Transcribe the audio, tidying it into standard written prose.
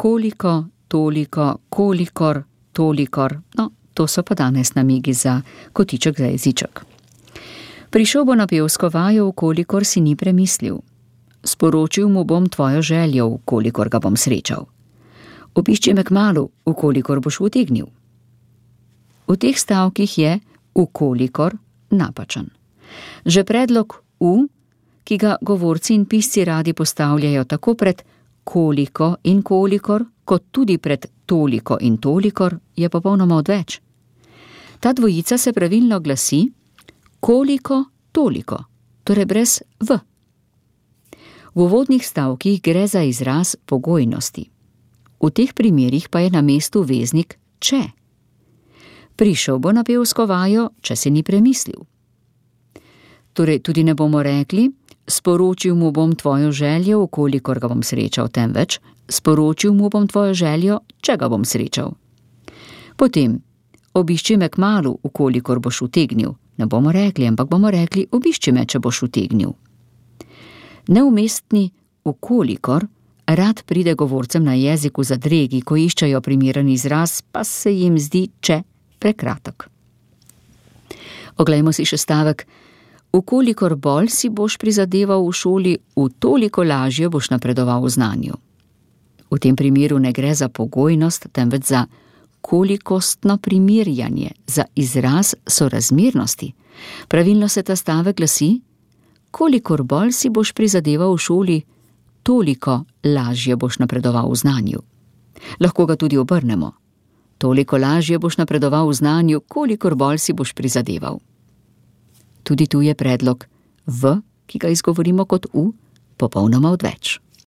koliko, toliko, kolikor, tolikor. No, to so pa danes namigi za kotiček za jeziček. Prišel bo na pevsko vajo, kolikor si ni premislil. Sporočil mu bom tvojo željo, kolikor ga bom srečal. Obišči me kmalu, kolikor boš utegnil. V teh stavkih je kolikor napačen. Že predlog ki ga govorci in pisci radi postavljajo tako pred koliko in kolikor, kot tudi pred toliko in tolikor, je popolnoma odveč. Ta dvojica se pravilno glasi koliko, toliko, torej brez v. V uvodnih stavkih gre za izraz pogojnosti. V teh primerih pa je na mestu veznik če. Prišel bo na pevsko vajo, če se ni premislil. Torej tudi ne bomo rekli, sporočil mu bom tvojo željo, kolikor ga bom srečal, temveč sporočil mu bom tvojo željo, če ga bom srečal. Potem, obišči me kmalu, kolikor boš utegnil. Ne bomo rekli, ampak bomo rekli, obišči me, če boš utegnil. Neumestni kolikor rad pride govorcem na jeziku zadregi, ko iščejo primeren izraz, pa se jim zdi če prekratek. Oglejmo si še stavek. Kolikor bolj si boš prizadeval v šoli, toliko lažje boš napredoval v znanju. V tem primeru ne gre za pogojnost, temveč za kolikostno primerjanje, za izraz sorazmernosti. Pravilno se ta stavek glasi: kolikor bolj si boš prizadeval v šoli, toliko lažje boš napredoval v znanju. Lahko ga tudi obrnemo. Toliko lažje boš napredoval v znanju, kolikor bolj si boš prizadeval. Tudi tu je predlog v, ki ga izgovorimo kot popolnoma odveč.